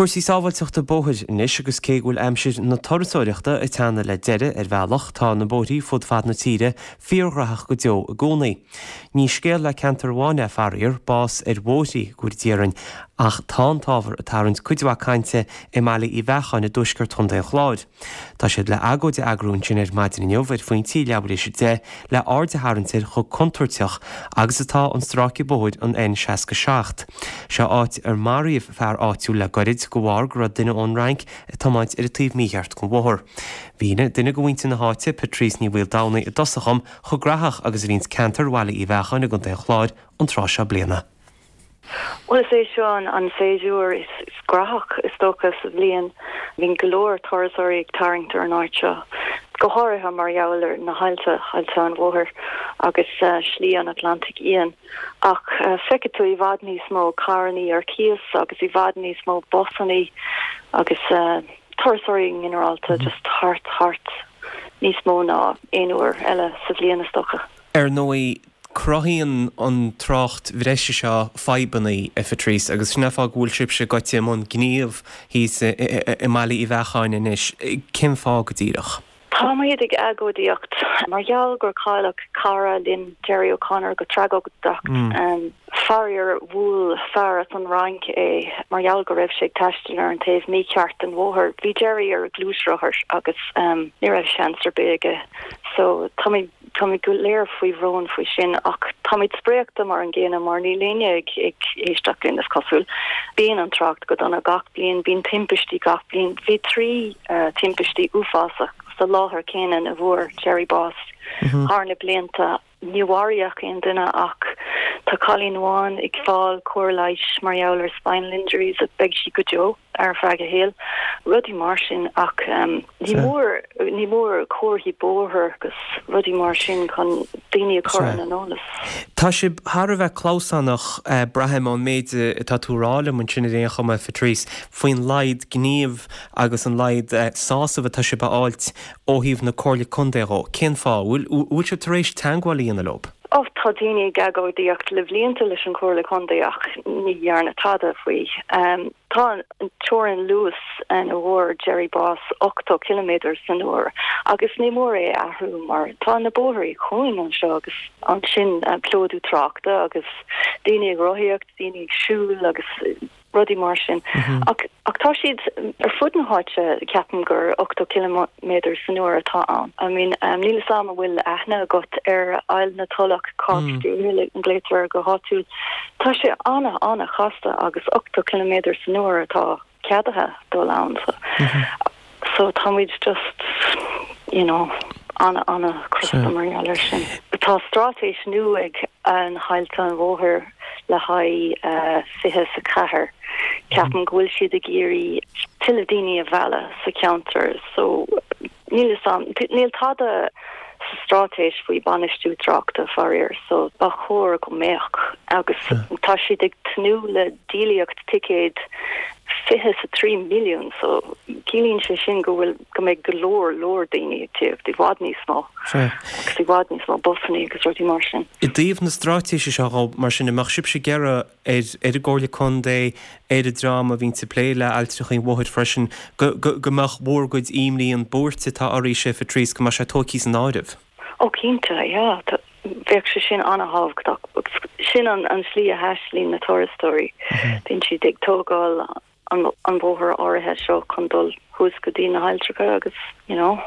Cúrsaí sábháilteachta bóthair anois agus cé go bhfuil aimsir na turasóireachta ag teannadh le deireadh ar bhealach, tá na bóithrí fud fad na tíre fíorghraitheach go deo i gcónaí. Ní scéal le ceantar amháin é faraor, bás ar bhóithrí, go déarfainn, ach tá an t-ábhar ag tarraingt cuid mhaith cainte i mBaile Uí Bheacháin i dtuaisceart Chontae an Chláir. Tá siad le agóid a eagrú ansin ar maidin inniu ar phointí leathuair théis 10 le aird a tharraingt ar chomh contúirteach agus atá an stráice bóthair an N67. Seo áit ar maraíodh fear áitiúil le goirid de bharr go raibh duine ón Fhrainc ag tiomáint ar an taobh mícheart den bhóthar. Mhínigh duine de mhuintir na háite, Patrice Ní Mhaoldomhnaigh i dtosach dhom chomh graitheach agus a bhíonns ceantar Bhaile Uí Bheacháin i gContae an Chláir an tráth seo bliana. Bhuel, is é seo an séasúr is graitheach, is dócha, sa bhliain. Bíonn go leor turasóirí ag tarraingt ar an áit seo, go háirithe mar gheall ar na haillte, Aillte an Mhothair agus Slí an Atlantaigh Fhiáin. Ach feicfidh tú i bhfad níos mó carrannaí ar cíos agus i bhfad níos mó busannaí agus turasóirí i nginearálta just thart, thart níos mó ná aon uair eile sa bhliain, is dócha. Ar ndóigh, Cruthaíonn an trácht bhreise seo fadhbanna, a Phatrice, agus sin an fáth go bhfuil sibhse gaibhte i mbun gníomh thíos i mBaile Uí Bheacháin anois. Cén fáth go díreach? Táimid ag agóidíocht mar gheall gur cailleadh cara linn, Gerry O'Connor, go tragóideach. Faraor, bhuail fear as an Fhrainc é mar gheall go raibh sé ag taisteal ar an taobh mícheart den bhóthar. Bhí Gerry ar ghluaisrothar agus ní raibh seans ar bith aige. So táimid. Táimid go léir faoi bhrón faoi sin ach táimid spréachta mar an gcéanna mar níl éinne ag éisteacht linn, is cosúil. Bíonn an trácht go dona gach bliain, bíonn timpistí gach bliain. Bhí 3 timpistí uafásach sa láthair céanna ina bhfuair Gerry bás thar na blianta. Ní mharaíodh aon duine ach tá cailín amháin ag fáil cóir leighis mar gheall ar spinal injuries a beidh sí go deo. ar feadh a shaoil, rudaí mar sin ach ní mór, ní mór comharthaí bóthair agus rudaí mar sin chun daoine a chur ar an eolas. Tá sibh thar a bheith clamhsánach, braithim, ón méid atá tú a rá liom ansin ar aon chuma, Phatrice, faoin laghad gníomh agus an laghad sásaimh atá sibh a fháilt ó thaobh na Comhairle Contae dhó. Cén fáth? Bhfuil sibh tar éis teagmháil a dhéanamh leo? Ó, tá daoine ag agóidíocht le blianta leis an Chomhairle Contae ach ní dhearnadh tada faoi. Tá an teorainn luais ina bhfuair Gerry bás 80 ciliméadar san uair agus ní mór é a athrú mar tá na bóithrí cúng anseo agus ansin plódú tráchta agus daoine ag rothaíocht, daoine ag siúl agus rudaí mar sin. Ach ach tá siad ar fud na háite, ceapaim gur 80 ciliméadar san uair atá ann. I mean, níl 'fhios a'm an bhfuil aithne agat ar Aill na Tulach, Corkscrew Hill a ghlaotar air go háitiúil. Tá sé ana, ana chasta agus 80 ciliméadar san uair atá ceadaithe dul ann. So. So táimid just, you know, ana, ana crosta mar gheall air sin. Tá straitéis nua ag an hAillte an Mhothair le haghaidh 24. Ceapaim go bhfuil siad ag iarraidh tuilleadh daoine a mhealladh sa cheantar so níl 'fhios a'm, níl tada sa straitéis faoi bainistiú tráchta faraor so ba chóir go mbeadh agus tá siad ag tnúth le díolaíocht ticéad 23 milliún so ciallaíonn sé sin go bhfuil go mbeidh go leor leor daoine ag tíocht, i bhfad níos mó agus i bhfad níos mó busannaí agus rudaí mar sin. I dtaobh na straitéise seo dhó, mar sin, an mbeadh sibhse ag iarraidh ar ar an gComhairle Contae, ar an dream a bhíonns ag plé le Ailltreacha an Mhothair freisin, go go go mbeadh bhur gcuid imní, an buairt atá oraibhse, a Phatrice, go mbeadh sé tóigthe san áireamh? Ó cinnte, yeah. Bheadh sé sin an-thábhachtach. Sin an slí a thaistealaíonn na turasóirí. Bíonn siad ag tógáil an bhóthar áirithe seo chun dul thuas go dtí na hailltreacha agus, you know.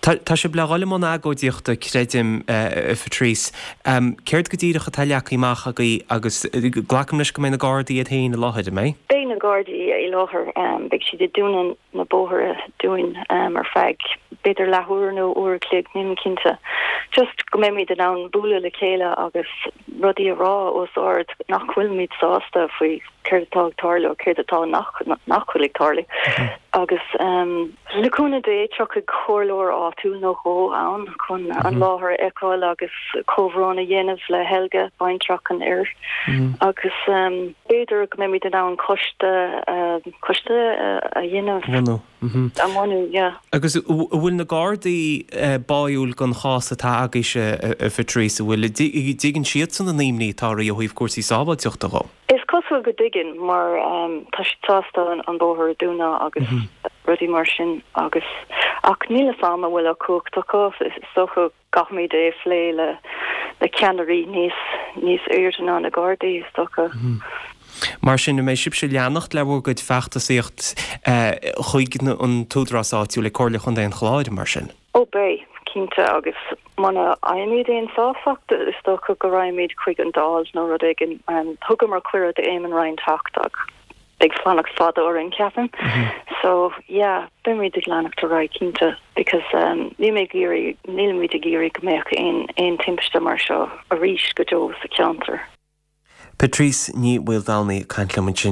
Tá sibh le dhul i mbun agóidíochta, creidim, a Phatrice. Céard go díreach atá leagtha amach agaibh agus glacaim leis go mbeidh na Gardaí iad féin i láthair, an mbeidh? Beidh na Gardaí i láthair. Beidh siad ag dúnadh na bóithre dúinn ar feadh b'fhéidir leathuair nó uair a chloig, nílim cinnte. Just go mbeimid in ann bualadh le chéile agus rudaí a rá os ard nach bhfuilimid sásta faoi céard atá ag tarlú, céard atá nach nach bhfuil ag tarlú. Agus le cúnamh Dé tiocfaidh comhairleoir áitiúil nó dhó ann chun an láthair a fheiceáil agus comhbhrón a dhéanamh le Helga, baintreach an fhir. Agus b'fhéidir go mbeimid in ann coiste coiste a dhéanamh. Bhunú. A bhunú, yeah. Agus an bhfuil na Gardaí báúil don chás atá agaibhse, a Phatrice, an bhfuil, dtuigeann siadsan an imní atá oraibh ó thaobh cúrsaí sábháilteachta dhó? Is cosúil. cosúil go dtuigeann mar tá siad sásta an bóthar a dúnadh agus rudaí mar sin agus ach níl fhios a'm an bhfuil an cumhacht acu, is dócha gcaithfimid é a phlé le le ceannairí níos níos airde ná na Gardaí is dócha. Mar sin, an mbeidh sibhse ag leanacht le bhur gcuid feachtasaíocht chuig an t-údarás áitiúil ag Comhairle Chontae an Chláir, mar sin? Ó beidh, cinnte, agus muna bhfaighimid aon sásacht, is dócha go raghaimid chuig an Dáil nó rud éigin. Thugamar cuireadh d'Éamon Ryan teacht ach beidh fanacht fada orainn, ceapaim. So, yeah, beimid ag leanacht ar aghaidh, cinnte, because níl mé ag iarraidh, nílimid ag iarraidh go mbeadh aon, aon timpiste mar seo arís go deo sa cheantar. Patrice Ní Mhaoldomhnaigh ag caint liom ansin.